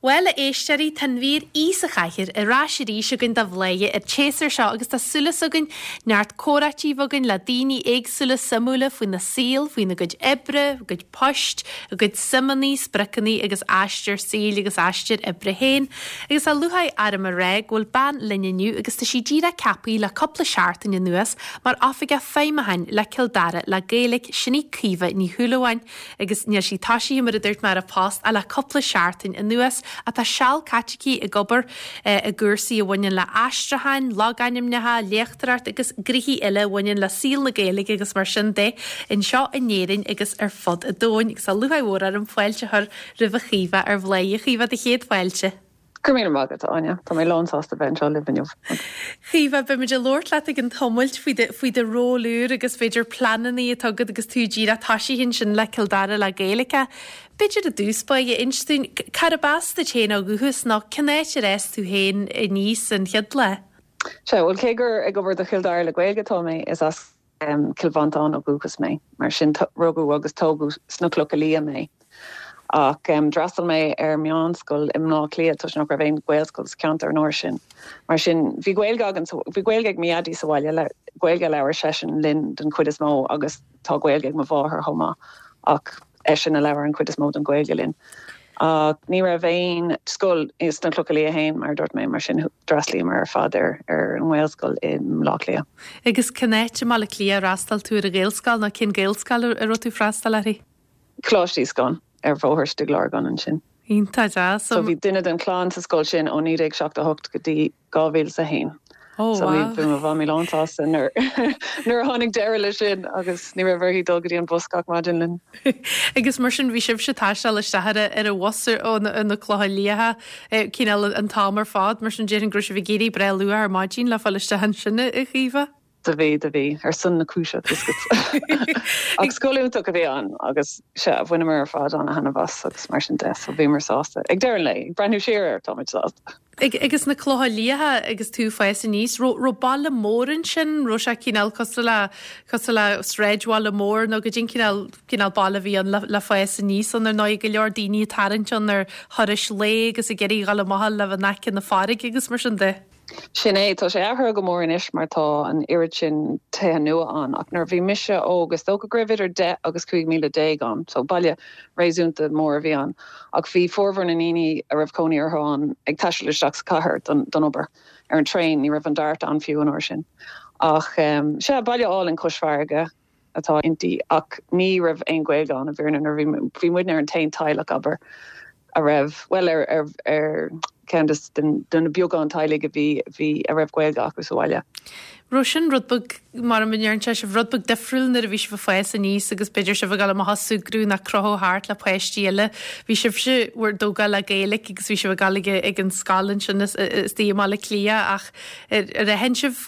Bhuel, a éisteoirí, tá an mhír Aoi sa Chathaoir ar ais arís againn do Bhladhaire an tséasúr seo agus tá súil againn neart comhráití a bheith againn le daoine éagsúla suimiúla faoina saol, faoina gcuid oibre, a gcuid poist, a gcuid suimeanna, spriocanna agus aistear saoil agus aistear oibre féin. Agus tá lúcháir orm a rá go bhfuil bean linn inniu agus tá sí díreach ceaptha le cúpla seachtain anuas mar Oifigeach Feidhmiúcháin le Cill Dara le Gaeilge, sin í Caoimhe Ní Shúilleabháin. Agus níl sí toisithe, mar a dúirt mé, ar a post ach le cúpla seachtain anuas, ach tá seal caite aici ag obair i gcúrsaí a bhaineann le aistriúcháin, logainmneacha, léachtóireacht agus gnoithí eile a bhaineann le saol na Gaeilge agus mar sin de, anseo in Éirinn agus ar fud an domhain. Agus tá lúcháir mhór orm fáilte a chur roimh a Chaoimhe ar Bhladhaire. A Chaoimhe, do chéad fáilte. Go raibh míle maith agat, a Áine. Tá mé lán sásta bheith anseo libh inniu. Chaoimhe, beimid ag labhairt leat ag an tamailt faoi do, faoi do ról úr agus b'fhéidir pleananna atá agat agus tú díreach toisithe ansin le Cill Dara le Gaeilge. B'fhéidir i dtús báire, inis dúinn, cárb as duit féin ó dhúchas nó cén áit ar fhás tú féin aníos an chéad lá? Sea, bhuel cé gur ag obair do Chill Dara le Gaeilge atá mé, is as Cill Mhantáin ó dhúchas mé, mar sin rugadh agus tógadh sna Clocha Liath mé. Ach d'fhreastail mé ar meánscoil i mBleá Cliath toisc nach raibh aon Ghaelscoil sa cheantar an uair sin. Mar sin bhí Gaeilge againn, bhí Gaeilge ag mo dhaidí sa bhaile, Gaeilge a labhair seisean linn den chuid is mó agus tá Gaeilge ag mo mháthair chomh maith ach eisean a labhair an chuid is mó den Ghaeilge linn. Ach ní raibh aon scoil sna Clocha Liath féin, mar a dúirt mé, mar sin d'fhreastlaíomar ar fad ar ar an nGaelscoil i mBleá Cliath. Agus cén áit i mBaile Átha Cliath ar fhreastail tú ar an Ghaelscoil nó cén Gaelscoil a raibh tú ag freastal uirthi? Coláiste Íoscáin, ar Bhóthar Stigh Lorgan ansin. Iontach deas. So bhí duine den chlann sa scoil sin ó 1978 go dtí 2001. Oh So wow. bhí mo mhamaí lán sásta nuair nuair a tháinig deireadh leis sin agus ní raibh uirthi dul go dtí an bus gach maidin linn. Agus mar sin bhí sibhse ag taisteal isteach ar a ar an bhus ó na ó na Clocha Liatha cineál an t-am ar fad, mar sin déarfainn go raibh sibh ag éirí breá luath ar maidin le fáil isteach ansin a Chaoimhe. Do bhí, do bhí, ar son na cúise, tá 'fhios agat. Ach scoil iontach a bhí ann agus, sea, bhaineamar ar fad an-thaitneamh as agus mar sin de, so bhíomar sásta. Ag deireadh an lae, ag breathnú siar air, táimid sásta. Agus na Clocha Liatha agus tú ag fás aníos, raibh, raibh baile mór ansin, raibh sé cineál cosúil le, cosúil le sráidbhaile mór nó goidé an cineál, cineál baile a bhí ann le, le fás aníos ann, ar ndóigh, go leor daoine ag tarraingt ann ar thurais lae agus ag iarraidh a dhul amach le bheith in aice na farraige agus mar sin de. Sin é, tá sé athraithe go mór anois mar tá an oiread sin tithe nua ann ach nuair a bhí mise óg is dócha go raibh idir 10 agus 15,000 ann, so baile réasúnta mór a bhí ann ach bhí formhór na ndaoine a raibh cónaí orthu ann ag taisteal isteach sa chathair don don obair ar an traein, ní raibh an DART ann fiú an uair sin. Ach sea, baile álainn cois farraige. atá inti ach ní raibh aon Ghaeilge ann i bhfírinne nuair a bhí bhí muidne ar an t-aon teaghlach abair a raibh bhuel ar ar ar ceann de de na beagán teaghlaigh a bhí bhí a raibh Gaeilge acu sa bhaile. Raibh sin rud beag mar a ndeireann sé sibh rud beag difriúil nuair a bhí sibh ag fás aníos agus b'fhéidir sibh ag dul amach ag súgradh nó ag crochadh thart le páistí eile. Bhí sibhse bhur dtógáil le Gaeilge agus bhí sibh ag dul ag ag an scoil ansin istigh i mBaile Átha Cliath ach Ar aithin sibh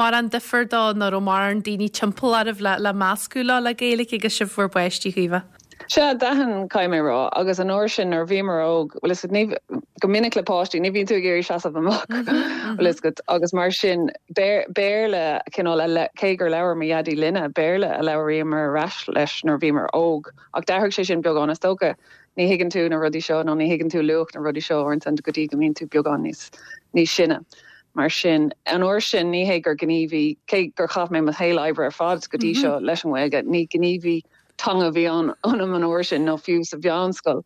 mórán difear dó nó raibh mórán daoine timpeall oraibh le le meascadh leo le Gaeilge agus sibh bhur bpáistí, Chaoimhe? Sea, d'aithin, caithfidh mé a rá. Agus an uair sin nuair a bhíomar óg, bhfuil 'fhios agat, ní, go minic le páistí, ní bhíonn tú ag iarraidh seasamh amach, bhfuil 'fhios agat, agus mar sin, Béarla, cineál, a, cé gur labhair mo dhaidí linne, Béarla a labhraíomar ar ais leis nuair a bhíomar óg. Ach d'athraigh sé sin beagán, is dócha. Ní thuigeann tú na rudaí seo nó ní thuigeann tú luach na rudaí seo uaireanta go dtí go mbíonn tú beagán níos níos sine. Mar sin, an uair sin, ní hé gur gníomhaí, cé gur chaith mé mo shaol oibre ar fad go dtí seo leis an nGaeilge, ní gníomhaí teanga a bhí ann ionam an uair sin nó fiú sa mheánscoil.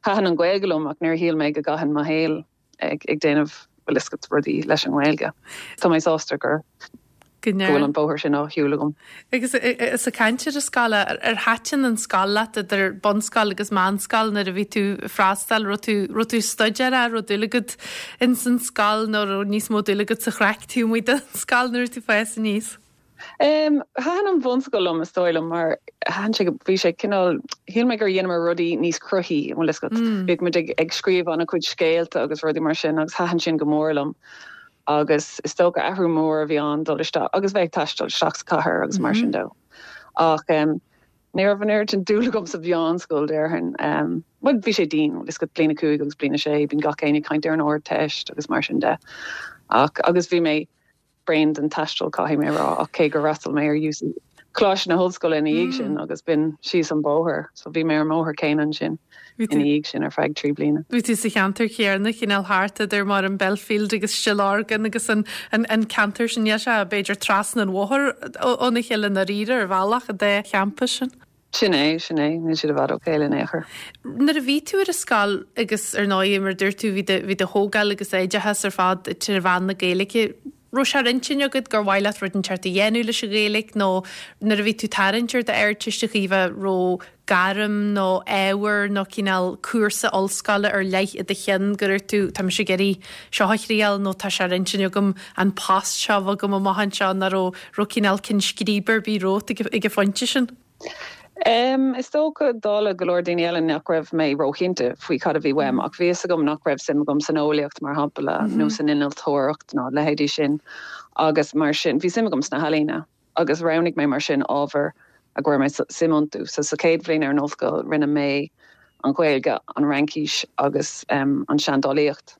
Thaitin an Ghaeilge liom ach níor shíl mé go gcaithfinn mo shaol ag déanamh, bhfuil 'fhios agat, rudaí leis an nGaeilge. Tá mé sásta gur go bhfuil an bóthar sin á shiúl agam. Agus is ag caint ar an scoil, ar thaitin an scoil leat idir bunscoil agus meánscoil nuair a bhí tú ag freastal, raibh tú, raibh tú ag staidéar, raibh dúil agat ins an scoil nó raibh níos mó dúil agat sa chraic taobh amuigh den scoil nuair a bhí tú ag fás aníos? Thaitin an bhunscoil liom, is dóigh liom, mar thaitin sé, bhí sé cineál, shíl mé gur dheineamar rudaí níos cruthaithí, an bhfuil 'fhios agat. Bhíodh muid ag, ag scríobh an-chuid scéalta agus rudaí mar sin agus thaitin sin go mór liom. Agus is dócha athrú mór a bhí ann dul isteach agus bheith ag taisteal isteach sa chathair agus mar sin de. Ach ní raibh an oiread sin dúil agam sa mheánscoil, déarfainn. Bhuel, bhí sé dian, bhfuil 'fhios agat, bliain a cúig agus bliain a sé, bíonn gach éinne ag caint ar an Ardteist agus mar sin de. Ach, agus bhí mé, bréan den taisteal, caithfidh mé a rá, ach cé gur fhreastail mé ar UC. Coláiste na hOllscoile ina dhiaidh sin agus b'in síos an bóthar so bhí mé ar an mbóthar céanna ansin ina dhiaidh sin ar feadh 3 bliana. Bhí tú sa cheantar céanna, cineál thart idir mar an Belfield agus Stillorgan agus an an ceantar sin, níl sé b'fhéidir trasna an bhóthair óna chéile i ndáiríre ar bhealach, an dá champas sin. Sin é, sin é, níl siad i bhfad ó chéile in aon chor. Nuair a bhí tú ar an scoil agus ar ndóigh mar a dúirt tú bhí do bhí do thógáil agus oideachas ar fad trí mheán na Gaeilge, raibh sé ar intinn agat gur mhaith leat rud inteacht a dhéanamh leis an Ghaeilge nó nuair a bhí tú tarraingt ar d'Ardteist a Chaoimhe raibh gairm nó ábhar nó cineál cúrsa ollscoile ar leith i do cheann go raibh tú, tá mise ag iarraidh seo a thriail nó tá sé ar intinn agam an post seo a bheith agam amach anseo nó raibh, raibh cineál ceann scríbe ar bith romhat ag, ag an phointe sin? Em, is dócha, dála go leor daoine eile nach raibh mé róchinnte faoi cad a bhí uaim ach bhí fhios agam nach raibh suim agam san eolaíocht mar shampla nó san innealtóireacht ná leithéidí sin agus mar sin bhí suim agam sna healaíona. agus roghnaigh mé mar sin ábhair a gcuir mé suim iontu. So sa chéad bhliain ar an ollscoil rinne mé an Ghaeilge, an Fhraincis agus an Seandálaíocht.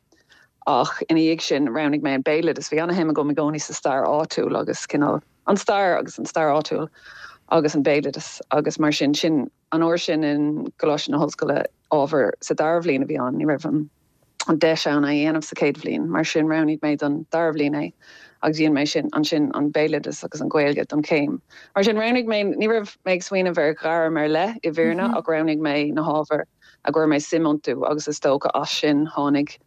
Ach ina dhiaidh sin roghnaigh mé an Béaloideas. Bhí ana-shuim agam i gcónaí sa stair áitiúil agus cineál an stair agus an stair áitiúil agus an béaloideas agus mar sin sin an uair sin i gColáiste na hOllscoile ábhar sa dara bhliain a bhí ann. Ní raibh an. an deis ann é a dhéanamh sa chéad bhliain, mar sin roghnaigh mé don dara bhliain é agus dhein mé sin ansin an béaloideas agus an Ghaeilge don chéim. Mar sin roghnaigh mé, ní raibh mé ag smaoineamh ar ghairm ar leith i bhfírinne ach roghnaigh mé na hábhair a gcuir mé suim iontu agus is dócha as sin tháinig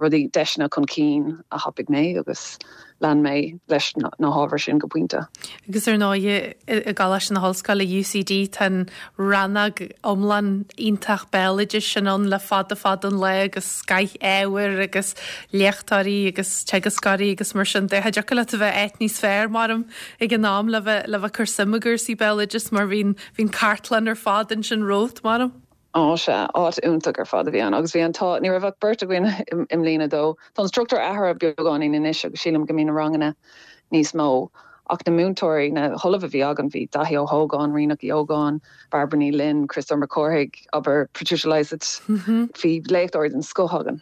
rudaí, deiseanna chun cinn a thapaigh mé agus lean mé leis na hábhair sin go pointe. Agus ar ndóigh i gColáiste na hOllscoile, UCD, tá an rannóg iomlán iontach béaloidis sin ann le fada fada an lá agus scoth ábhair agus léachtóirí agus teagascóirí agus mar sin de. Cha dtiocfadh leat a bheith áit níos fearr, maram, ag an am le bheith le bheith ag cur suim i gcúrsaí béaloidis mar bhí an bhí an cartlann ar fad ansin romhat, maram. Á, sea, áit iontach ar fad a bhí ann agus bhí an t-ádh, ní raibh ach beirt againn i mbliain a dó. Tá an struchtúr athraithe beagáinín anois agus sílim go mbíonn na ranganna níos mó ach na múinteoirí, na hollaimh a bhí againn, bhí Daithí Ó hÓgáin, Ríonach Uí Ógáin, Bairbre Ní Fhloinn, Criostóir Mac Cárthaigh, abair, Patricia Lysaght, bhí léachtóirí den scoth againn.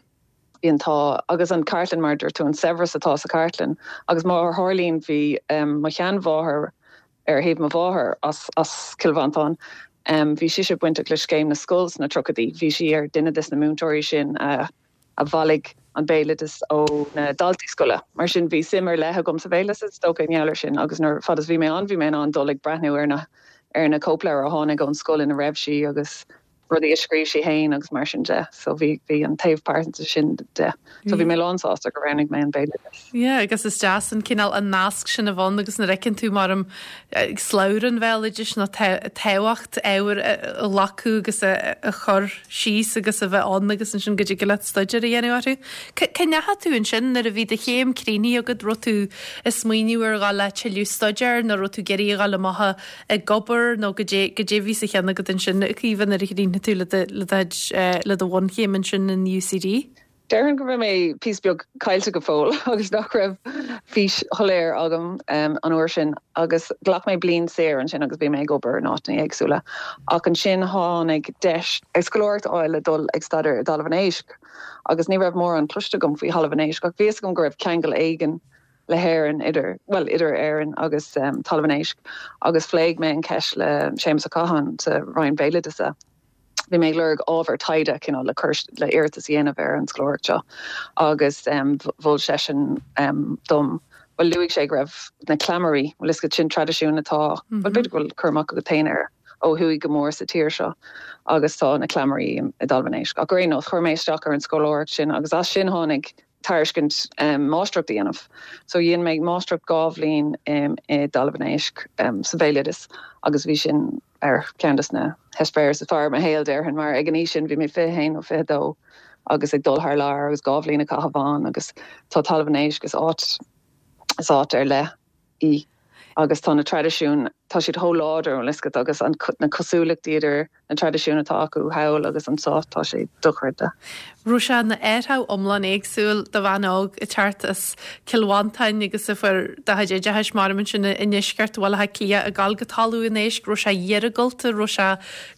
Bhí an t-ádh agus an chartlann, mar a dúirt tú, an saibhreas atá sa chartlann agus mar a tharlaíonn bhí mo sheanmháthair, ar thaobh mo mháthar as as Cill Mhantáin. Bhí sise bainteach le Scéim na Scol sna tríochaidí. Bhí sí ar duine des na múinteoirí sin a a bhailigh an béaloideas ó na daltaí scoile. Mar sin bhí suim ar leith agam sa bhéaloideas is dócha i ngeall air sin agus nuair fad is bhí mé ann bhí mé in ann dul ag breathnú ar na ar na cóipleabhair a tháinig ón scoil ina raibh sí agus rudaí a scríobh sí féin agus mar sin de. So bhí, bhí an taobh pearsanta sin de. So bhí mé lánsásta gur roghnaigh mé an béaloideas. Yeah, agus is deas an cineál an nasc sin a bheith ann agus nuair a fheiceann tú mar slabhra an bhéaloidis nó tábhacht ábhair a ghlacadh agus a a chur síos agus a bheith ann agus ansin go dtig leat staidéar a dhéanamh orthu. Cá ndeachaigh tú ansin nuair a bhí do chéim críochnaithe agat, raibh tú ag smaoineamh ar dhul le tuilleadh staidéir nó raibh tú ag iarraidh a dhul amach a ag obair nó goidé, goidé a bhí sa cheann agat ansin, a Chaoimhe, nuair a chríochnaigh tú le do, le do chuid, le do bhunchéim ansin in UCD? Déarfainn go raibh mé píosa beag caillte go fóill agus nach raibh fís shoiléir agam an uair sin agus ghlac mé bliain saor ansin agus bhí mé ag obair in áiteanna éagsúla ach ansin tháinig deis scoláireacht a fháil le dul ag staidéar i dTalamh an Éisc agus ní raibh mórán cloiste agam faoi Thalamh an Éisc ach bhí fhios agam go raibh ceangal éigin le hÉirinn, idir, bhuel, idir Éirinn agus Talamh an Éisc agus phléigh mé an cheist le Séamus Ó Catháin sa Roinn Béaloideasa. Bhí mé ag lorg ábhar taighde, cineál, le cur, le iarratas a dhéanamh ar an scoláireacht seo agus mhol seisean dom, bhuel, luaigh sé go raibh na cleamairí, bhuel, is sin traidisiún atá, bhuel, b'fhéidir go bhfuil cur amach agat féin air, ó thuaidh go mór sa tír seo agus tá na cleamairí i dTalamh an Éisc. Ach ar aon nós, chuir mé isteach ar an scoláireacht sin agus as sin tháinig tairiscint máistreacht a dhéanamh. So dhein mé máistreacht 2 bhliain i dTalamh an Éisc sa bhéaloideas agus bhí sin ar cheann des na heispéiris is fearr i mo shaol, déarfainn, mar ag an aois sin bhí mé 21 nó 22 agus ag dul thar lear agus 2 bhliain a chaitheamh ann agus tá Talamh an Éisc, is áit, is áit ar leith í agus tá na traidisiúin, tá siad chomh láidir, bhfuil fhios agat, agus an, na cosúlachtaí idir na traidisiúin atá acu thall agus anseo, tá sé dochreidte. Raibh sé ina athrú iomlán éagsúil do bhean óg ag teacht as Cill Mhantáin agus a fuair do chuid oideachais maram ansin i ndeisceart Bhaile Átha Cliath ag dul go Talamh an Éisc, raibh sé iargúlta, raibh sé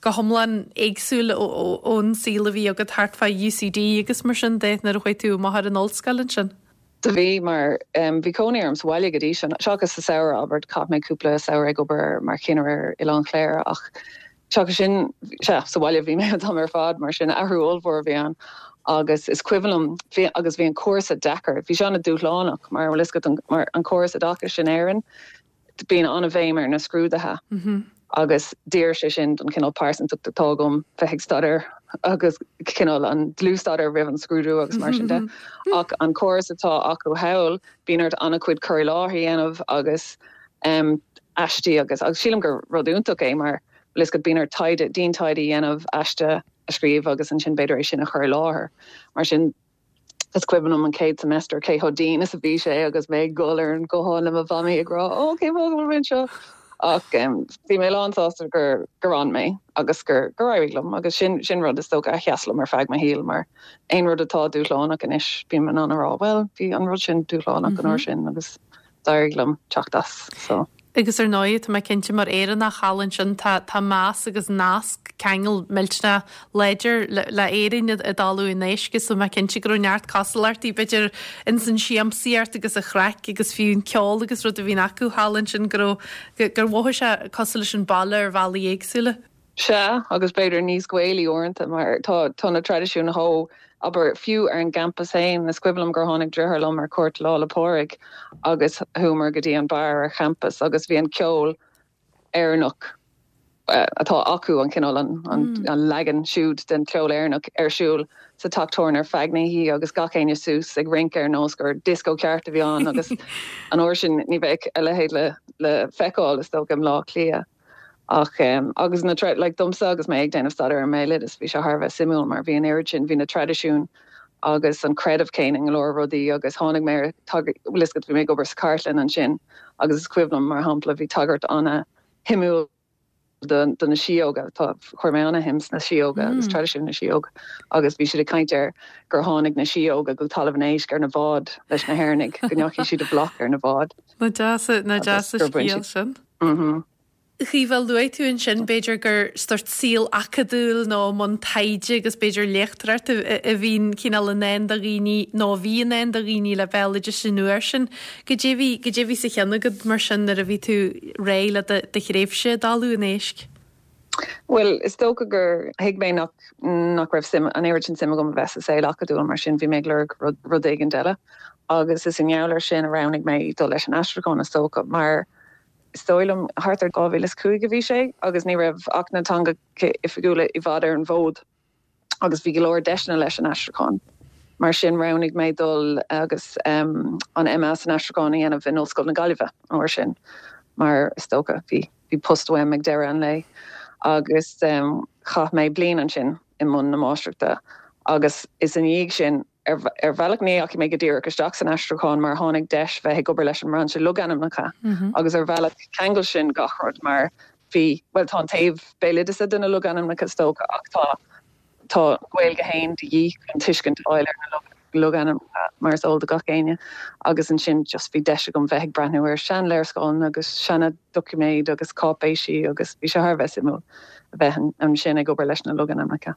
go hiomlán éagsúil ón saol a bhí agat thart fá UCD agus mar sin de nuair a chuaigh tú amach ar an ollscoil ansin? Do bhí, mar bhí cónaí orm sa bhaile go dtí sin, seachas sa samhradh, abair, chaith mé cúpla samhradh ag obair mar chinnire ar Oileán Chléire ach seachas sin, sea, sa bhaile a bhí mé an t-am ar fad, mar sin athrú ollmhór a bhí ann agus is cuimhin liom, bhí, agus bhí an cúrsa deacair, bhí sé an-dúshlánach mar, bhfuil fhios agat, mar an córas oideachais in Éirinn, Bíonn an-bhéim ar na scrúduithe agus d'oir sé sin don chineál pearsantacht atá agam bheith ag staidéar agus cineál an dlúthstaidéar roimh an scrúdú agus mar sin de. Ach an córas atá acu thall, bíonn ort an-chuid cur i láthair a dhéanamh agus aistí agus agus sílim gur rud iontach é mar bhfuil fhios agat bíonn ort taighde, dian-taighde a dhéanamh, aiste a scríobh agus ansin b'fhéidir é sin a chur i láthair. Mar sin Is cuimhin liom an chéad semester cé chomh dian is a bhí sé agus mé ag gol ar an guthán le mo mhamaí ag rá 'Ó, cén fáth go bhfuil mé anseo? Ach bhí mé lán sásta gur gur fhan mé agus gur gur éirigh liom agus sin sin rud is dócha a sheas liom ar feadh mo shaoil mar aon rud atá dúshlánach anois bím in ann a rá 'Bhuel, bhí an rud sin dúshlánach an uair sin agus d'éirigh liom teacht as so. Agus ar ndóigh, tá mé cinnte, mar Éireannach thall ansin, tá tá meas agus nasc, ceangal millteanach láidir le le Éirinn i dTalamh an Éisc so tá mé cinnte go raibh neart cosúlachtaí, b'fhéidir, ins an siamsaíocht agus an chraic agus fiú an ceol agus rud a bhíonn acu thall ansin go raibh, gur mhothaigh sé cosúil leis an baile ar bhealaí éagsúla. Sea, agus b'fhéidir níos Gaelaí uaireanta, mar tá tá na traidisiúin chomh, abair, fiú ar an gcampas féin, is cuimhin liom gur tháinig deartháir liom ar cuairt Lá 'le Pádraig agus chuamar go dtí an beár ar champas agus bhí an ceol Éireannach atá acu, an cineál, an an leagan siúd den cheol Éireannach ar siúl sa teach tábhairne ar feadh na hoíche agus gach éinne suas ag rince ar nós gur disco ceart a bhí ann agus an uair sin ní bheadh a leithéid le le feiceáil, is dócha, i mBleá Cliath. Ach agus na like domsa agus mé ag déanamh staidéar ar an mbéaloideas bhí sé thar a bheith suimiúil mar bhí an oiread sin, bhí na traidisiúin agus an creideamh céanna i go leor rudaí agus tháinig mé ar tagairt, bhfuil fhios agat bhí mé ag obair sa chartlann ansin agus is cuimhin liom mar shampla bhí tagairt ana-shuimiúil do do na síóga, tá, chuir mé ana-shuim sna síóga agus traidisiún na síóg agus bhí siad ag caint ar gur tháinig na síóga go Talamh an Éisc ar na báid leis na hÉireannaigh, go ndeachaigh siad i bhfolach ar na báid. Nach deas, nach deas an scéal sin. A Chaoimhe, luaigh tú ansin, b'fhéidir gur sórt saol acadúil nó i mbun taighde agus b'fhéidir léachtóireacht a bhíonn cineál i ndán do dhaoine nó a bhí i ndán do dhaoine le béaloideas an uair sin. Goidé bhí, goidé bhí sa cheann agat mar sin nuair a bhí tú réidh le do thréimhse i dTalamh an Éisc? Bhuel, is dócha gur thuig mé nach, nach raibh suim, an oiread sin suim agam a bheith sa saol acadúil, mar sin bhí mé ag lorg rud, rud éigin eile. Agus is i ngeall air sin a roghnaigh mé dul leis an aistriúchán, is dócha, mar is dóigh liom, thart ar 2005 a bhí sé agus ní raibh Acht na dTeangacha Oifigiúla i bhfad ar an bhfód agus bhí go leor deiseanna leis an aistriúchán. Mar sin roghnaigh mé dul agus an MA san aistriúchán a dhéanamh in Ollscoil na Gaillimhe an uair sin mar is dócha bhí bhí post uaim ag deireadh an lae agus chaith mé bliain ansin i mbun na máistreachta agus is i ndiaidh sin Ar bhealach ní dheachaigh mé go díreach isteach san aistriúchán mar tháinig deis bheith ag obair leis an mbrainse logainmneacha agus ar bhealach cheangail sin gach rud mar bhí, bhuel tá an taobh béaloideasa de na logainmneacha is dócha ach tá tá an Ghaeilge féin de dhíth chun tuiscint a fháil ar na logainmneacha mar is eol do gach éinne agus ansin just bhí deis agam bheith ag breathnú ar seanléarscáileanna agus seana doiciméid agus cáipéisí agus bhí sé thar a bheith suimiúil a bheith ansin ag obair leis na logainmneacha.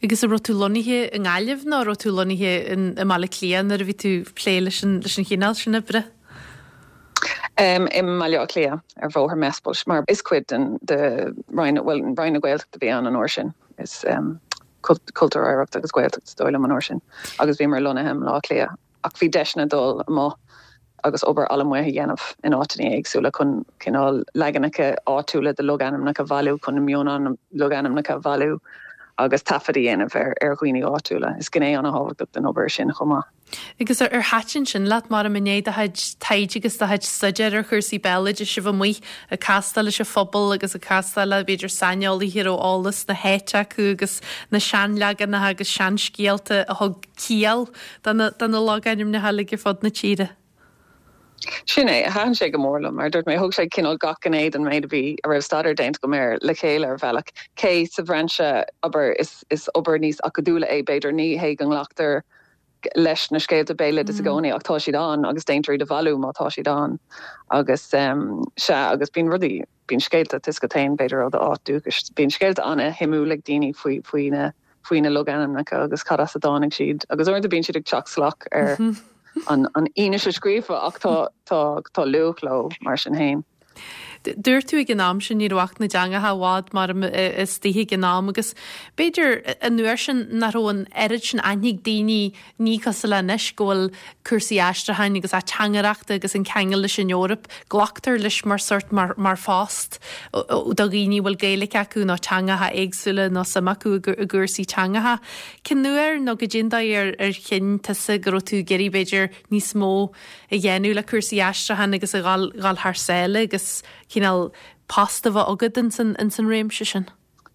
Agus an raibh tú lonnaithe i nGaillimh nó an raibh tú lonnaithe i mBaile Átha Cliath nuair a bhí tú ag plé leis an leis an chineál sin oibre? I mBaile Átha Cliath, ar Bhóthar Mespil, mar is cuid den de Roinn, bhuel, Roinn na Gaeltachta a bhí ann an uair sin. Is Cultúr, Oidhreacht agus Gaeltacht is dóigh liom an uair sin. Agus bhíomar lonnaithe i mBaile Átha Cliath. Ach bhí deiseanna dul amuigh agus obair allamuigh a dhéanamh in áiteanna éagsúla chun cineál leaganacha áitiúla de logainmneacha a bhailiú, chun na mionlogainmneacha a bhailiú agus taifead a dhéanamh ar dhaoine áitiúla. Is gné an-thábhachtach den obair sin chomh maith. Agus ar thaitin sin leat, mar i ndiaidh do chuid taighde agus do chuid staidéir ar chúrsaí béaloidis a bheith amuigh ag castáil leis an phobal agus ag castáil le b'fhéidir saineolaithe a raibh eolas na háite acu agus na seanleaganacha agus seanscéalta a thug ciall do na logainmneacha uilig ar fud na tíre. Sin é, thaitin sé go mór liom, mar a dúirt mé, thug sé cineál gach gné den méid a bhí, a raibh staidéar déanta agam air le chéile ar bhealach. Cé sa bhrainse, abair, is, is obair níos acadúla é, b'fhéidir, ní hé go nglactar leis na scéalta béaloidis i gcónaí ach tá siad ann agus déantar iad a bhailiú má tá siad ann. Agus, sea, agus bíonn rudaí, bíonn scéalta, tá a fhios agat féin, b'fhéidir ó d'áit dúchais, bíonn scéalta an-shuimiúil ag daoine faoi, faoi na, faoi na logainmneacha agus cad as a dtáinig siad agus uaireanta bíonn siad ag teacht salach ar. an fhianaise scríofa ach tá tá tá luach leo mar sin féin. Dúirt tú ag an am sin ní raibh Acht na dTeangacha i bhfad mar istigh ag an am agus b'fhéidir an uair sin nach raibh an oiread sin aithne ag daoine ní cosúil le anois go bhfuil cúrsaí aistriúcháin agus ateangaireachta agus an ceangal leis an Eoraip, glactar leis mar sort mar mar phost do dhaoine a bhfuil Gaeilge acu nó teangacha éagsúla nó suim acu i gcúrsaí teangacha. Cén uair nó goidé an dóigh ar ar chinn tusa go raibh tú ag iarraidh b'fhéidir níos mó a dhéanamh le cúrsaí aistriúcháin agus a dhul dhul thar sáile agus cineál post a bheith agat ins an ins an réimse sin.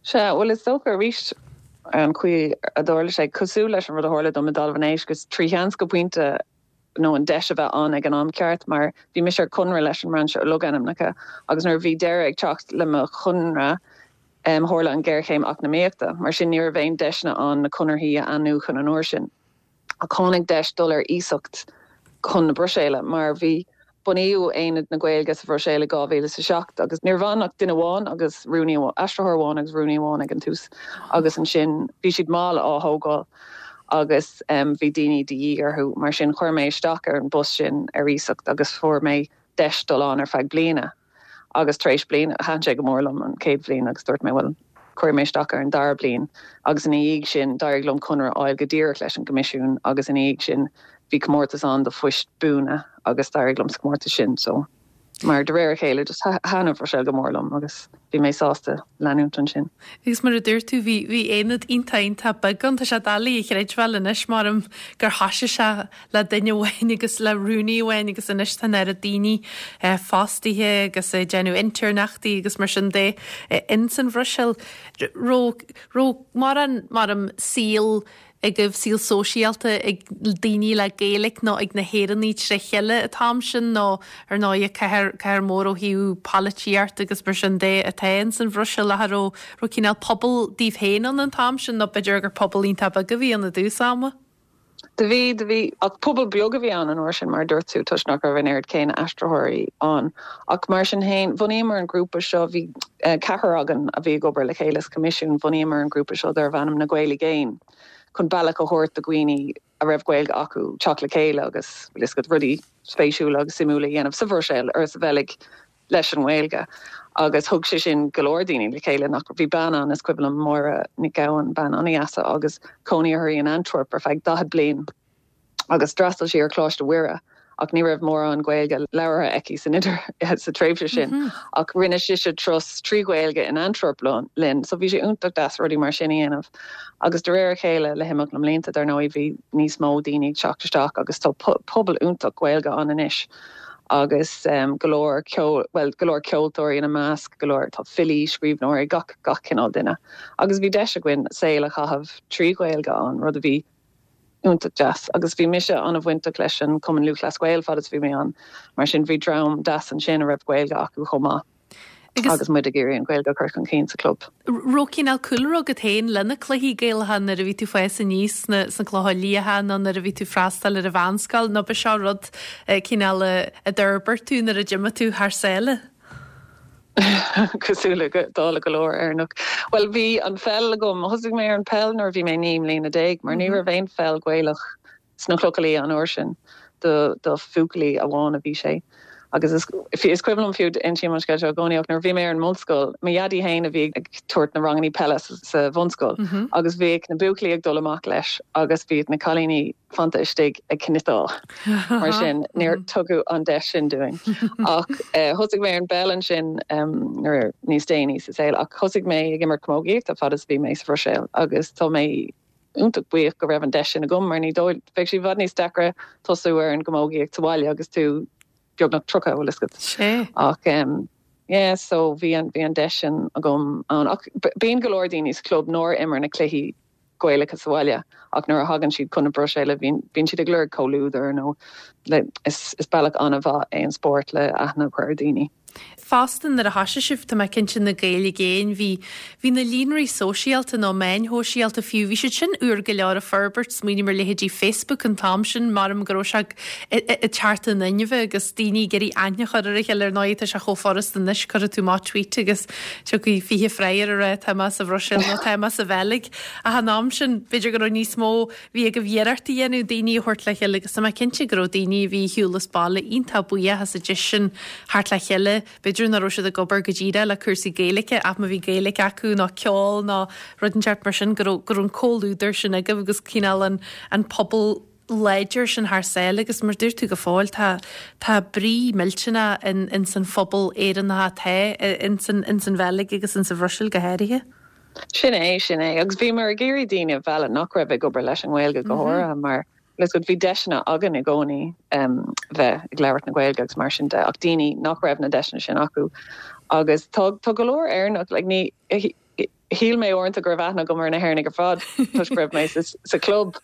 Sea, bhuel is dócha arís an chaoi a dtarla sé, cosúil leis an rud a tharla dom i dTalamh an Éisc, is trí sheans go pointe nó an deis a bheith ann ag an am ceart mar bhí mise ar conradh leis an mBrainse Logainmneacha agus nuair a bhí deireadh ag teacht le mo chonradh tharla an ghéarchéim eacnamaíochta, mar sin ní raibh aon deiseanna ann na conarthaí a athnuachan an uair sin. Ach tháinig deis dul ar iasacht chun na Bruiséile mar bhí, bunaíodh Aonad na Gaeilge sa Bhruiséil i 2007 agus ní raibh ann ach duine amháin agus rúnaí, aistritheoir amháin agus rúnaí amháin ag an tús agus ansin bhí siad mall á thógáil agus bhí daoine de dhíth orthu. Mar sin chuir mé isteach ar an bpost sin ar iasacht agus fuair mé deis dul ann ar feadh bliana. Agus tar éis bliana, thaitin sé go mór liom an chéad bhliain agus dúirt mé, bhuel, cuirfidh mé isteach ar an dara bliain. Agus ina dhiaidh sin, d'éirigh liom conradh a fháil go díreach leis an gCoimisiún agus ina dhiaidh sin, bhí comórtas ann do phoist buana agus d'éirigh liom sa chomórtas sin. So, mar de réir a chéile, just thaitin an Bhruiséil go mór liom agus bhí mé sásta leanúint ansin. Agus mar a dúirt tú, bhí, bhí aonad iontach, iontach beag ann. Tá sé doiligh a chreidbheáil anois, maram, gur thoisigh sé le duine amháin agus le rúnaí amháin agus anois tá an oiread daoine fostaithe agus ag déanamh intéirneachtaí agus mar sin de ins an Bhruiséil. Raibh, raibh mórán, maram, saol agaibh, saol sóisialta ag daoine le Gaeilge nó ag na hÉireannaigh tré chéile an t-am sin nó ar ndóigh cathair, cathair mór ó thaobh polaitíocht agus mar sin de atá ins an Bhruiséil ach raibh, raibh cineál pobal daoibh féin ann an t-am sin nó b'fhéidir gur pobal iontach beag a bhí ann i dtús ama? Do bhí, do bhí, ach pobal beag a bhí ann an uair sin, mar a dúirt tú, toisc nach raibh an oiread céanna aistritheoirí ann. Ach mar sin féin, bhunaíomar an grúpa seo, bhí ceathrar againn a bhí ag obair le chéile sa Choimisiún, bhunaíomar an grúpa seo darbh ainm Na Gaeil i gCéin, chun bealach a thabhairt do dhaoine a raibh Gaeilge acu teacht le chéile agus, bhfuil fhios agat, rudaí spéisiúla agus suimiúla a dhéanamh sa Bhruiséil or sa Bheilg leis an nGaeilge agus thug sé sin go leor daoine le chéile nach, bhí bean ann, is cuimhin liom, Máire Nic Gabhann, bean an-dheas agus cónaí uirthi in Antwerp ar feadh 40 bliain agus d'fhreastail sí ar Choláiste Mhuire ach ní raibh mórán Gaeilge labhartha aici san idir, sa tréimhse sin ach rinne sise turas trí Ghaeilge in Antwerp linn so bhí sé iontach deas rudaí mar sin a dhéanamh agus de réir a chéile le himeacht na mblianta dar ndóigh bhí níos mó daoine ag teacht isteach agus tá pobal iontach Gaeilge ann anois. agus go leor ceol, bhuel, go leor ceoltóirí ina measc, go leor, tá filí, scríbhneoirí, gach, gach cineál duine. Agus bhí deis againn saol a chaitheamh trí Ghaeilge ann, rud a bhí iontach deas. Agus bhí mise an-bhainteach leis an Cumann Lúthchleas Gael fad is a bhí mé ann, mar sin bhí dream deas ansin a raibh Gaeilge acu chomh maith. Agus muid ag iarraidh an Ghaeilge a chur chun cinn sa chlub. Raibh cineál cúlra agat féin le na cluichí Gaelacha nuair a bhí tú ag fás aníos sna sna Clocha Liatha nó nuair a bhí tú ag freastal ar an mheánscoil nó ba seo rud cineál a d'fhorbair tú nuair a d'imigh tú thar sáile? Cosúil le dála go leor Éireannach. Bhuel bhí an pheil agam, thosaigh mé ar an peil nuair a bhí mé 19 mbliana mar ní raibh aon pheil Gaelach sna Clocha Liatha an uair sin do do bhuachaillí amháin a bhí sé. Agus is is cuimhin liom fiú, insím an scéal seo i gcónaí, ach nuair a bhí mé ar an mbunscoil, mo dhaidí féin a bhí ag tabhairt na rangannaí peile sa bhunscoil agus bhíodh na buachaillí ag dul amach leis agus bhíodh na cailíní fanta istigh ag cniotáil. Mar sin, níor tugadh an deis sin dúinn. Ach thosaigh mé ar an bpeil ansin nuair níos déanaí sa saol ach thosaigh mé ag imirt camógaíochta fad is a bhí mé sa Bhruiséil agus tá mé iontach buíoch go raibh an deis sin agam mar ní dóigh, bheadh sé i bhfad níos deacra tosú ar an gcamógaíocht sa bhaile agus tú beagnach 30, bhfuil fhios agat. Sea. Ach em yeah so bhí an, bhí an deis sin agam ann. Ach bíonn go leor daoine sa chlub nár imir na cluichí Gaelacha sa bhaile ach nuair a thagann siad chun na Bruiséile bíonn, bíonn siad ag lorg comhluadar nó le, is, is bealach an-mhaith é an spórt le aithne a chur ar daoine. Fosta nuair a thoisigh sibh, tá mé cinnte, na Gaeil i gCéin, bhí, bhí na líonraí sóisialta nó meáin shóisialta fiú, bhí siad sin úr go leor ag forbairt, smaoiním ar leithéidí Facebook an t-am sin, maram go raibh sé ag teacht in inmhe agus daoine ag iarraidh aithne a chur ar a chéile, ar ndóigh tá sé chomh furasta anois, cuirfidh tú amach tweet agus tiocfaidh 20 freagra ag rá tá mé sa Bhruiséil nó tá mé sa Bheilg. Ach an am sin, b'fhéidir go raibh níos mó, bhí agaibh iarracht a dhéanamh daoine a thabhairt le chéile agus tá mé cinnte go raibh daoine a bhí ar shiúl as baile iontach buíoch as an deis sin theacht le chéile. B'fhéidir nach raibh siad ag obair go díreach le cúrsaí Gaeilge ach má bhí Gaeilge acu nó ceol nó rud inteacht mar sin go raibh go raibh an comhluadar sin agaibh agus cineál an an pobal láidir sin thar sáile agus mar dúirt tú go fóill tá tá brí millteanach in ins an phobal Éireannach atá ins an ins an Bheilg agus ins an Bhruiséil go háirithe. Sin é, sin é. Agus bhíomar ag iarraidh daoine a mhealladh nach raibh ag obair leis an nGaeilge go háirithe mar bhfuil a fhios agat bhí deiseanna againn i gcónaí bheith ag labhairt na Gaeilge agus mar sin de ach daoine nach raibh na deiseanna sin acu. Agus tá tá go leor Éireannach, like ní, shíl mé uaireanta go raibh aithne agam ar na hÉireannaigh ar fad toisc go raibh mé sa sa chlub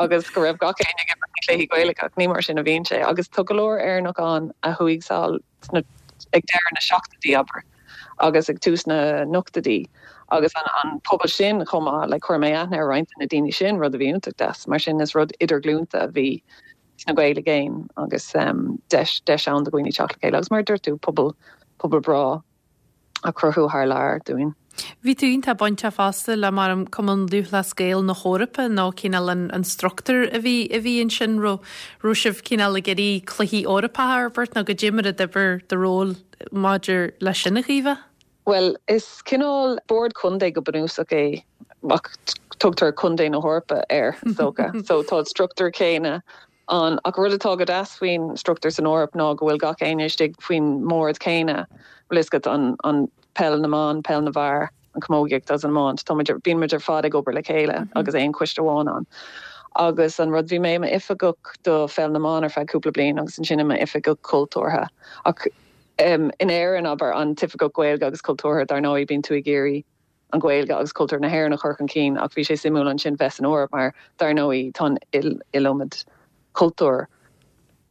agus go raibh gach éinne ag imirt na cluichí Gaelacha ach ní mar sin a bhíonn sé. Agus tá go leor Éireannach ann a chuaigh sall sna, ag deireadh na seachtóidí, abair, agus ag tús na n-ochtóidí, agus an, an pobal sin chomh maith, like, chuir mé aithne ar roinnt de na daoine sin, rud a bhí iontach deas. Mar sin, is rud idirghlúnta a bhí sna Gaeil i gCéin agus deis, deis ann do dhaoine teacht le chéile. Agus mar a dúirt tú, pobal, pobal breá. a chruthú thar lear dúinn. Bhí tú iontach bainteach fosta le mar an Cumann Lúthchleas Gael na hEorpa nó cineál an an struchtúr a bhí a bhí ansin raibh raibh sibh cineál ag iarraidh cluichí Eorpacha a fhorbairt nó goidé mar a d'oibir do ról maidir leis sin a Chaoimhe? Bhuel is cineál bord contae go bunúsach é ach tugtar Contae na hEorpa air is dócha. So tá an struchtúr céanna ann. Ach rud atá go deas faoin struchtúr san Eoraip ná go bhfuil gach éinne istigh faoin mbord céanna, bhfuil fhios agat, an, an peil na mban, peil na bhfear, an chamógaíocht agus an iomáint. Tá muid, bíonn muid ar fad ag obair le chéile agus aon choiste amháin ann. Agus an rud, bhí mé i m'oifigeach do pheil na mban ar feadh cúpla bliain agus ansin i m'oifigeach cultúrtha. Ach in Éirinn, abair, an t-oifigeach Gaeilge agus cultúrtha, dar ndóigh, bíonn tú ag iarraidh an Ghaeilge agus cultúr na hÉireann a chur chun cinn ach bhí sé suimiúil ansin bheith san Eoraip mar dar ndóigh tá an iliomad cultúr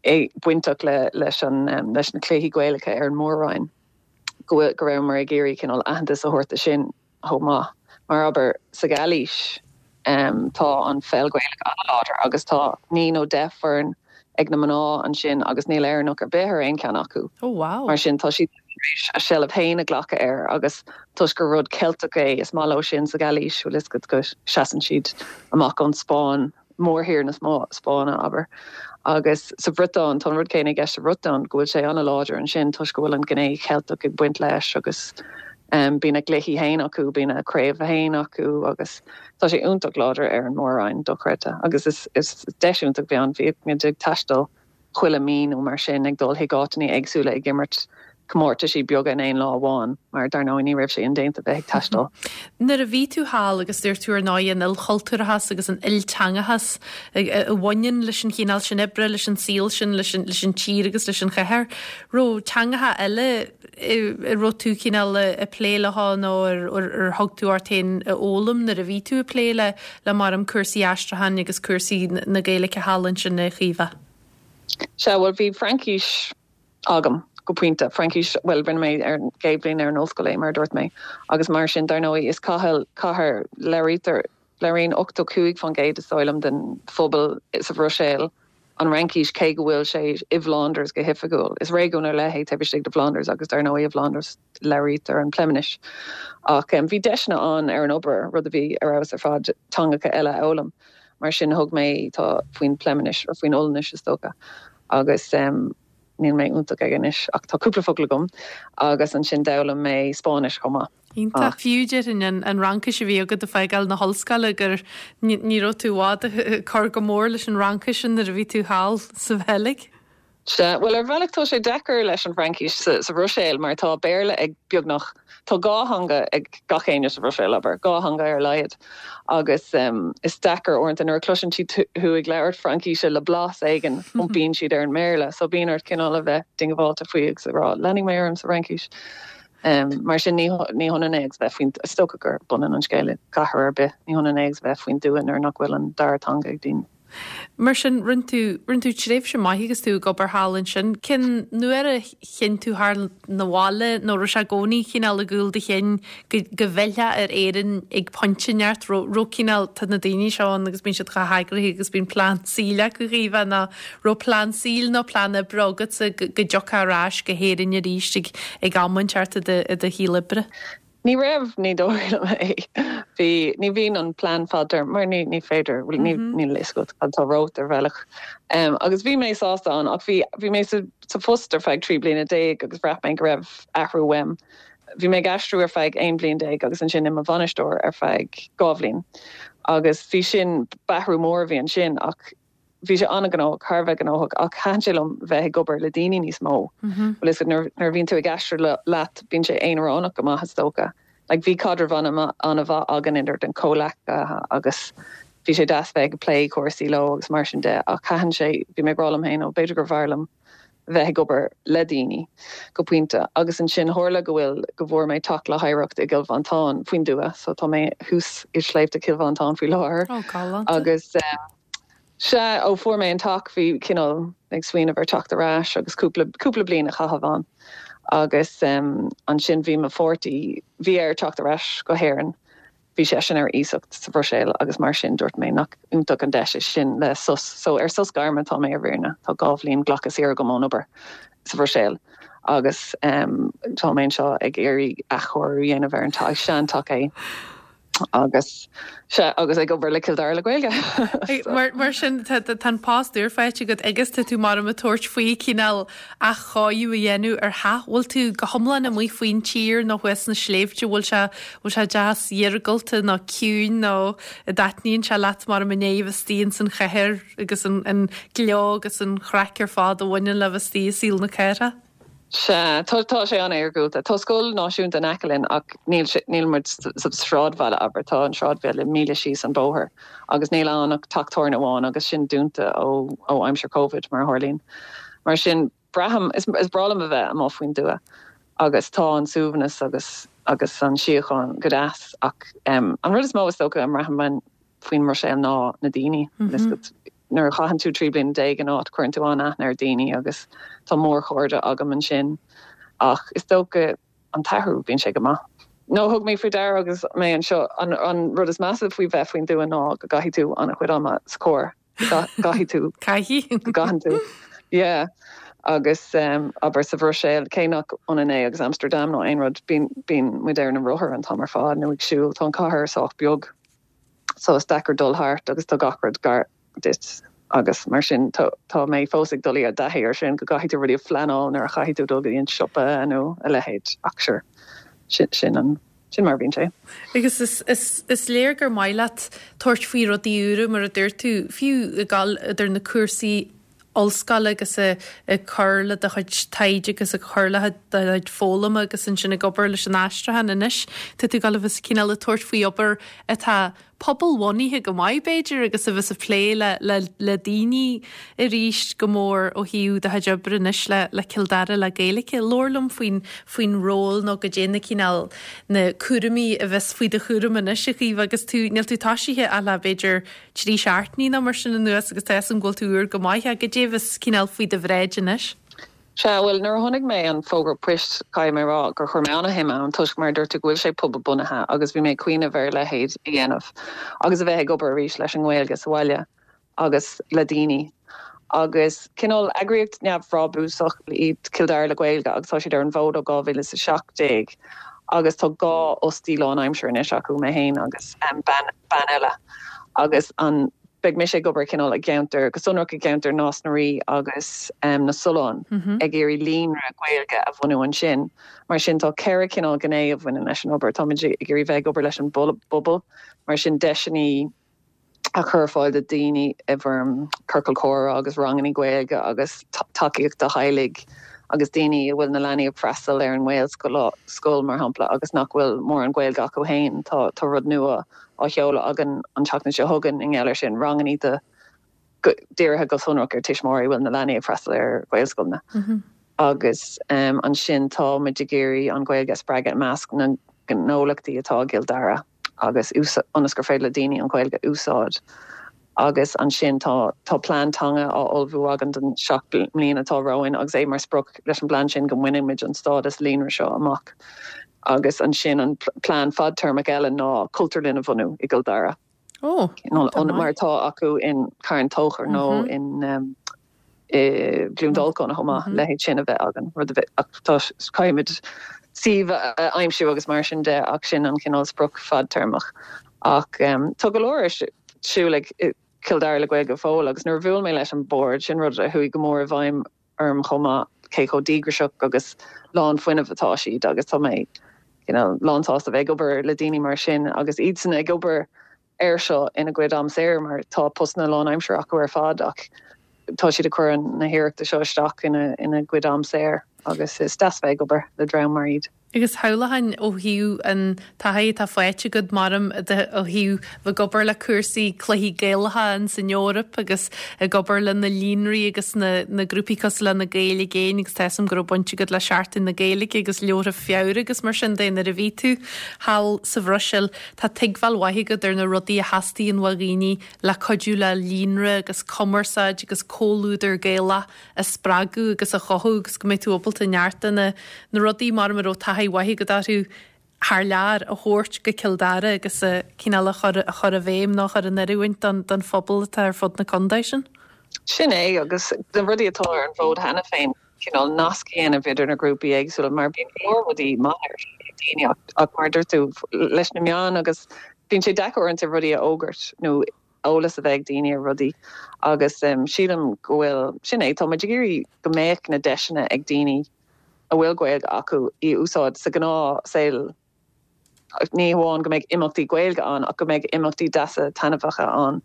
bainteach le leis an leis na cluichí Gaelacha ar an mór-roinn go bhfuil go rabhamar ag iarraidh cineál aitheantas a thabhairt do sin chomh maith. Mar abair sa Ghailís tá an pheil Ghaelach an-láidir agus tá 9 nó 10 foireann ag na mná ansin agus níl Éireannach ar bith ar aon cheann acu. Oh wow. Mar sin tá siad tar éis a seilbh féin a ghlacadh air agus toisc gur rud Ceilteach é, is maith leo sin sa Ghailís, bhfuil fhios agat, go seasann siad amach ón Spáinn, mórthír na Spáinne, abair. Agus sa Bhriotáin, tá an rud céanna i gceist sa Bhriotáin, go bhfuil sé an-láidir ansin toisc go bhfuil an ghné Cheilteach ag baint leis agus bíonn a gcluichí féin acu, bíonn a craobh féin acu agus tá sé iontach láidir ar an mór-roinn, dochreidte. Agus is deis iontach a bhí ann, bhíodh muid ag taisteal chuile mí nó mar sin ag dul chuig áiteanna éagsúla ag imirt comórtaisí beaga in aon lá amháin mar dar ndóigh ní raibh sé indéanta bheith ag taisteal. Nuair a bhí tú thall agus dúirt tú ar ndóigh an ilchultúrachas agus an ilteangachas a bhaineann leis an chineál sin oibre, leis an saol sin, leis an leis an tír agus leis an chathair, raibh teangacha eile a raibh tú cineál ag plé leo nó ar ar thug tú ort féin a fhoghlaim nuair a bhí tú ag plé le le mar cúrsaí aistriúcháin agus cúrsaí na Gaeilge thall ansin a Chaoimhe? Sea, bhuel bhí Fraincis agam go pointe, Fraincis, bhuel rinne mé ar an gcéad bhliain ar an ollscoil é mar a dúirt mé agus mar sin dar ndóigh is cathair, cathair, labhraítear, labhraíonn 85% is dóigh liom den phobal sa Bhruiséil an Fhraincis cé go bhfuil sé i bhFlánders go hoifigiúil. Is réigiún ar leith é taobh istigh de Fhlánders agus dar ndóigh i bhFlánders labhraítear an Phleiminis. Ach bhí deiseanna ann ar an obair, rud a bhí ar fheabhas ar fad, teangacha eile a fhoghlaim. Mar sin thug mé tá faoin Phleiminis, or faoin Ollainnis is dócha, agus níl mé iontach aige anois ach tá cúpla focal agam agus ansin d'fhoghlaim mé Spáinnis chomh maith. Iontach. Fiú déarfainn an an Fhraincis a bhí agat ag fágáil na hollscoile gur ní raibh tú i bhfad ag cur go mór leis an Fhraincis sin nuair a bhí tú thall sa Bheilg. Sea, bhuel ar bhealach tá sé deacair leis an bhFraincis sa Bhruiséil mar tá Béarla ag beagnach, tá dhá theanga ag gach éinne sa Bhruiséil, abair, dhá theanga ar a laghad agus is deacair uaireanta nuair a chloiseann siad thú ag labhairt Fraincíse le blas éigin, iompaíonn siad ar an mBéarla so bíonn ort cineál a bheith diongbháilte faoi agus a rá leanfaidh mé orm sa Fhraincis. Mar sin ní hionann é agus bheith faoin, is dócha gur b'ionann an scéal i gcathair ar bith, ní hionann é agus bheith faoin dtuath nuair nach bhfuil an dara teanga ag daoine. Mar sin, rinne tú, rinne tú tréimhse maith agus tú ag obair thall ansin. Cén uair a chinn tú theacht 'na bhaile nó raibh sé i gcónaí cineál i gcúl do chinn go, go bhfillfeá ar Éirinn ag pointe inteacht, raibh, raibh cineál, tá na daoine seo ann agus bíonn siad chomh heagraithe agus bíonn plean saoil acu Chaoimhe nó raibh plean saoil nó plean oibre agatsa go, go dtiocfá ar ais go hÉirinn arís ag, ag am inteacht i do, i do shaol oibre? Ní raibh, ní dóigh liom é. Bhí, ní bhíonn an plean fadtéarma, mar ní, ní féidir, bhuel ní, níl a fhios agat cad tá romhat ar bhealach. Agus bhí mé sásta ann ach bhí, bhí mé sa, sa phost ar feadh 13 bliana agus bhraith mé go raibh athrú uaim. Bhí mé ag aistriú ar feadh 11 bliain agus ansin i mo bhainisteoir ar feadh 2 bhliain. Agus bhí sin, b'athrú mór a bhí ansin ach, Bhí sé an-ghnóthach, thar a bheith gnóthach, ach thaitin sé liom bheith ag obair le daoine níos mó. Bhfuil fhios agat, nuair a bhíonn tú ag aistriú leat, bíonn sé aonaránach go maith, is dócha. Like, bhí caidreamh an-mhaith againn idir na comhleacaithe agus bhí sé deas bheith ag plé cúrsaí leo agus mar sin de, ach thaitin sé, bhí mé ag rá liom féin, ó, b'fhéidir gur bhfearr liom bheith ag obair le daoine go pointe. Agus ansin tharla go bhfuil, go bhfuair mé teach le hoidhreacht i gCill Mhantáin faoin dtuath, so tá mé thuas i sléibhte Chill Mhantáin faoi láthair. Ó, galánta. Agus sea, ó fuair mé an teach bhí cineál ag smaoineamh ar teacht ar ais agus cúpla, cúpla bliain a chaitheamh ann. Agus ansin bhí mo pháirtí, bhí air teacht ar ais go hÉirinn. Bhí seisean ar iasacht sa Bhruiséil agus mar sin dúirt mé nach iontach an deis é sin le sos. So ar sos gairme atá mé ar fhírinne. Tá 2 bhliain glactha saor agam ón obair sa Bhruiséil agus tá mé anseo ag iarraidh athchóiriú a dhéanamh ar an teach, seanteach é agus sea agus ag obair le Cill Dara le Gaeilge. Mar, mar sin tá, tá an post úr faighte agat agus tá tú mar a ag tabhairt faoi cineál athchóiriú a dhéanamh ar theach. Bhfuil tú go hiomlán amuigh faoin tír nó thuas sna sléibhte? Bhfuil sé, bhfuil sé deas iargúlta nó ciúin nó an dtaitníonn sé leat mar i ndiaidh a bheith istigh ins an chathair agus an, an gleo agus an chraic ar fad a bhaineann le bheith istigh i saol na cathrach? Sea, tá, tá sé an-iargúlta. Tá scoil náisiúnta in aice linn ach níl sé, níl muid sa sráidbhaile, abair. Tá an sráidbhaile míle síos an bóthar agus níl ann ach teach tábhairne amháin agus sin dúnta ó, ó aimsir Covid, mar a tharlaíonn. Mar sin, braithim, is, is breá liom a bheith amuigh faoin dtuath agus tá an suaimhneas agus, agus an síocháin go deas ach an rud is mó is dócha a mbraithim faoin mBruiséil ná na daoine. Nuair a chaitheann tú 13 bliana in áit, cuireann tú an-aithne ar dhaoine agus tá mórchairde agam ansin. Ach is dócha an t-athrú, bíonn sé go maith. Nó thug mé faoi deara agus mé anseo, an rud is measa faoi bheith faoin dtuath ná go gcaithfidh tú an-chuid ama sa charr. Go gcaithfidh tú. Caithfidh. Go gcaitheann tú. Yeah. Agus abair sa Bhruiséil, cé nach ionann é agus Amsterdam nó aon rud, bíonn, bíonn muid ar na rothair an t-am ar fad nó ag siúl. Tá an cathair sách beag. so is deacair dul thart agus tá gach rud gar duit agus mar sin tá mé fós ag dul i dtaithí ar sin go gcaithfidh tú rudaí a phleanáil nuair a chaithfidh tú dul go dtí an siopa nó a leithéid ach sure sin sin an sin mar a bhíonn sé. Agus is is is léir gur maith leat tabhairt faoi rudaí úra mar a dúirt tú, fiú ag dul idir na cúrsaí ollscoile agus ag cur le do chuid taighde agus ag cur le do chuid foghlama agus ansin ag obair leis an aistriúchán anois. Tá tú ag dul a bheith cineál ag tabhairt faoi obair atá pobalbhunaithe go maith b'fhéidir agus a bheas ag plé le le le daoine arís go mór ó thaobh do chuid oibre anois le le Cill Dara le Gaeilge. Labhair liom faoin faoin ról nó goidé na cineál na cúraimí a bheas faoi do chúram anois a Chaoimhe agus tú níl tú toisithe ach le b'fhéidir 3 seachtainí nó mar sin anuas agus tá fhios agam go bhfuil tú úr go maith ach goidé a bheas cineál faoi do bhráid anois. Sea, bhuel, nuair a chonaic mé an fógra poist, caithfidh mé a rá gur chuir mé an-shuim ann toisc mar a dúirt tú go bhfuil sé pobal-bunaithe agus bhí mé ag cuimhneamh ar a leithéid a dhéanamh agus a bheith ag obair arís leis an nGaeilge sa bhaile agus le daoine. Agus cineál eagraíocht neamhbhrabúsach iad Cill Dara le Gaeilge agus tá siad ar an bhfód ó 2017 agus tá 2 fhostaí lánaimseartha anois acu, mé féin agus bean bean eile agus an beidh mise ag obair cineál i gceantar, go sonrach i gceantar Nás na Rí agus na Sollán ag iarraidh líonra Gaeilge a bhunú ansin. Mar sin tá ceithre chineál gné a bhaineann leis an obair. Táimid ag iarraidh bheith ag obair leis an bpobal, mar sin deiseanna a chur ar fáil do daoine i bhfoirm ciorcal comhrá agus ranganna Gaeilge agus tacaíocht do theaghlaigh agus daoine a bhfuil na leanaí ag freastal ar an nGaelscoil, mar shampla, agus nach bhfuil mórán Gaeilge acu féin. Tá tá rud nua á sheoladh againn an tseachtain seo chugainn i ngeall air sin, ranganna do dírithe go sonrach ar tuismitheoirí a bhfuil na leanaí ag freastal ar Ghaelscoileanna. Agus ansin tá muid ag iarraidh an Ghaeilge a spreagadh i measc na ngnólachtaí atá i gCill Dara. agus ionas gur féidir le daoine an Ghaeilge a úsáid. Agus ansin tá tá plean teanga á ullmhú againn don 7 mbliana atá romhainn agus é mar sprioc leis an bplean sin go mbainfimid an stádas líonra seo amach. Agus ansin an plean fadtéarmach eile ná cultúrlann a bhunú i gCill Dara. Ó, mar atá acu in Carn Tóchair nó in i gCluain Dolcáin chomh maith, leithéid sin a bheith againn, rud a bheith, ach tá, caithfimid suíomh a aimsiú agus mar sin de ach sin an cineál sprioc fadtéarmach. Ach tá go leor ar siúl ag Cill Dara le Gaeilge go fóill agus nuair a bhuail mé leis an bord, sin rud a chuaigh go mór i bhfeidhm orm chomh maith, cé chomh díograiseach agus lán fuinnimh atá siad agus tá mé you know lán-sásta bheith ag obair le daoine mar sin agus iadsan ag obair air seo ina gcuid am saor mar tá postanna lánaimseartha acu ar fad ach tá siad ag cur na hiarrachta seo isteach ina gcuid am saor agus is deas bheith ag obair le dream mar iad. Agus shamhlóchainn ó thaobh an taithí atá faighte agat maram ó thaobh bheith ag obair le cúrsaí cluichí Gaelacha ins an Eoraip agus ag obair le na líonraí agus na na grúpaí cosúil le Na Gaeil i gCéin agus tá 'fhios a'm go raibh baint agat le Seachtain na Gaeilge agus Leabhartha Feabhra agus mar sin de nuair a bhí tú thall sa Bhruiséil. Tá tuigbheáil mhaith agat ar na rudaí a theastaíonn ó dhaoine le cuidiú le líonra agus cumarsáid agus comhluadar Gaelach a spreagadh agus a chothú agus go mbeidh tú ábalta neart de na na rudaí mar a raibh taithí mhaith agat orthu thar lear a thabhairt go Cill Dara agus a cineál a chur a chur i bhfeidhm nó a chur in oiriúint don don phobal atá ar fud na contae sin. Sin é agus na rudaí atá ar an bhfód cheana féin, cineál nasc a dhéanamh idir na grúpaí éagsúla mar bíonn go leor rudaí maith ar siúl ag daoine ach ach mar a dúirt tú leis na meáin agus bíonn sé deacair uaireanta rudaí a fhógairt nó eolas a bheith ag daoine ar rudaí agus sílim go bhfuil, sin é, tá muid ag iarraidh go mbeadh na deiseanna ag daoine a bhfuil Gaeilge acu í a úsáid sa ghnáthshaol, ní hamháin go mbeidh imeachtaí Gaeilge ann ach go mbeidh imeachtaí deasa taitneamhacha ann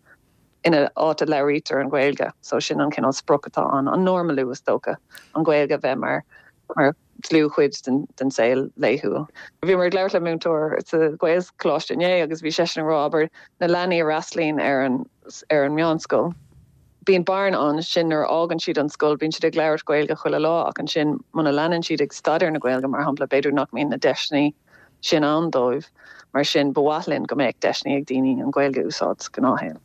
ina áit a labhraítear an Ghaeilge. So sin an cineál sprioc atá ann, an normalú is dócha, an Ghaeilge a bheith mar mar dlúthchuid den saol laethúil. Bhíomar ag labhairt le múinteoir sa Ghaelcholáiste inné agus bhí seisean ag rá, abair, na leanaí a fhreastlaíonn ar an ar an meánscoil, bíonn bearna ann sin nuair a fhágann siad an scoil, bíonn siad ag labhairt Gaeilge chuile lá ach ansin muna leanann siad ag staidéar na Gaeilge, mar shampla, b'fhéidir nach mbíonn na deiseanna sin ann dóibh. Mar sin, ba mhaith linn go mbeadh deiseanna ag daoine an Ghaeilge a úsáid sa ghnáthshaol.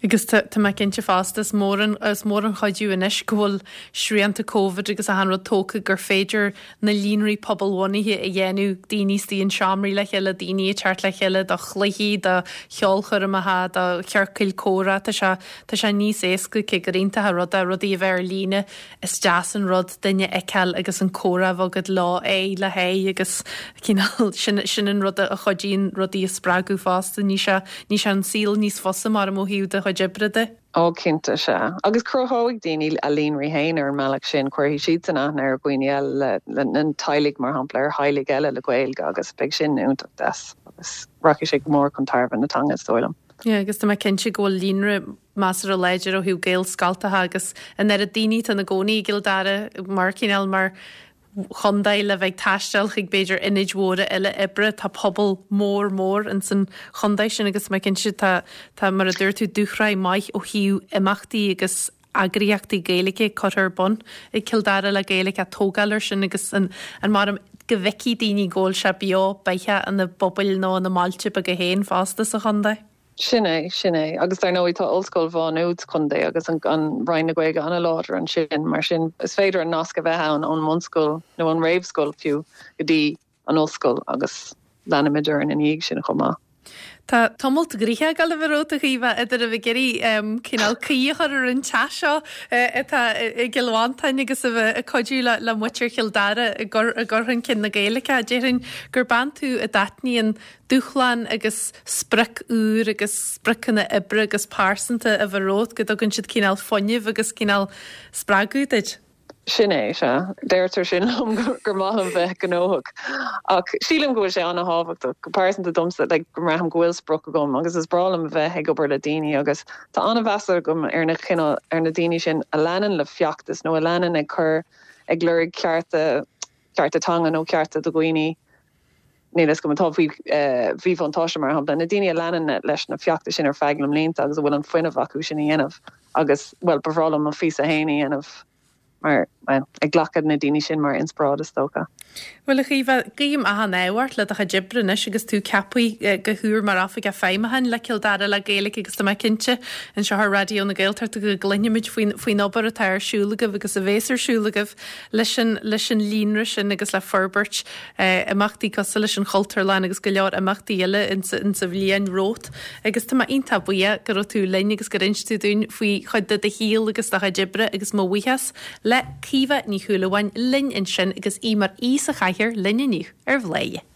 Agus tá mé cinnte fosta, is mór an, is mór an chuidiú anois go bhfuil srianta Covid agus achan rud tógtha gur féidir na líonraí pobalbhunaithe a dhéanamh, daoine istigh in seomraí le chéile, daoine ag teacht le chéile do chluichí, do cheolchoirmeacha, do chiorcail comhrá, tá sé, tá sé níos éasca cé gur iontach an rud é rudaí a bheith ar líne. Is deas an rud duine a fheiceáil agus an comhrá a bheith agat leo aghaidh le haghaidh agus cineál sin, sin an rud a chuidíonn rudaí a spreagadh fosta. Ní sé, ní sé an saol níos fusa mar ó thaobh do chuid oibre de. Ó cinnte, sea. Agus cruthóidh daoine a líonraí féin ar an mbealach sin, cuirfidh siadsan aithne ar dhaoine eile le, le, na teaghlaigh mar shampla, ar theaghlaigh eile le Gaeilge agus beidh sin iontach deas agus rachaidh sé go mór chun tairbhe na teanga is dóigh liom. Yeah, agus tá mé cinnte go bhfuil líonra measartha láidir ó thaobh Gaelscoltacha agus an oiread daoine atá ina gcónaí i gCill Dara mar cineál mar chontae le bheith ag taisteal chuig b'fhéidir ionaid mhóra eile oibre. Tá pobal mór mór ins an chontae sin agus tá mé cinnte tá tá mar a dúirt tú dúshraith maith ó thaobh imeachtaí agus eagraíochtaí Gaeilge curtha ar bun ag Cill Dara le Gaeilge ag tógáil air sin agus an an mar go bhfeicfidh daoine go bhfuil sé beo beathach ina bpobail nó ina mbailte beaga féin fosta sa chontae. Sin é, sin é. Agus dar ndóigh tá Ollscoil Mhá Nuad sa chontae agus an Roinn na Gaeilge an-láidir ansin, mar sin is féidir an nasc a bheith ann ón mbunscoil nó ón réamhscoil fiú go dtí an ollscoil agus leanaimid orainn ina dhiaidh sin chomh maith. Tá tamalt gnoitheach ag dul a bheith romhat a Chaoimhe idir a bheith ag iarraidh cineál caoi a chur ar an teach seo atá i gCill Mhantáin agus a bheith ag cuidiú le muintir Chill Dara i gcur chun cinn na Gaeilge. Déarfainn gur bean tú a dtaitníonn dúshlán agus sprioc úr agus spriocanna oibre agus pearsanta a bheith romhat, go dtugann siad cineál fuinnimh agus cineál spreagadh duit. Sin é, sea. Deirtear sin liom gur maith liom bheith gnóthach. Ach sílim go bhfuil sé an-thábhachtach, go pearsanta domsa, like, go mbraithim go bhfuil sprioc agam agus is breá liom a bheith ag obair le daoine agus tá an-mheas agam ar na cineál, ar na daoine sin a leanann le feachtas nó a leanann ag cur, ag lorg cearta, cearta teanga nó cearta do dhaoine níl a fhios agam, atá faoi mhíbhuntáiste, mar shampla, na daoine a leanann leis na feachtais sin ar feadh na mblianta agus a bhfuil an fuinneamh acu sin a dhéanamh agus, bhuel, ba bhreá liom mo phíosa féin a dhéanamh. Mar, bhuel, ag glacadh na daoine sin mar inspioráid is dócha. Bhuel, a Chaoimhe, guím achan ádh ort le do chuid oibre anois agus tú ceaptha go húr mar Oifigeach Feidhmiúcháin le Cill Dara le Gaeilge agus tá mé cinnte anseo ar Raidió na Gaeltachta go gcluinfimid faoin, faoin obair atá ar siúl agaibh agus a bhéas ar siúl agaibh leis an, leis an líonra sin agus le forbairt imeachtaí cosúil leis an Chultúrlann agus go leor imeachtaí eile insa, insa bhliain romhat. Agus tá mé iontach buíoch go raibh tú linn agus gur inis tú dúinn faoi chuid de do shaol agus do chuid oibre agus mo bhuíochas le Caoimhe Ní Shúilleabháin linn ansin agus í mar aoi sa chathaoir linn inniu ar Bhladhaire.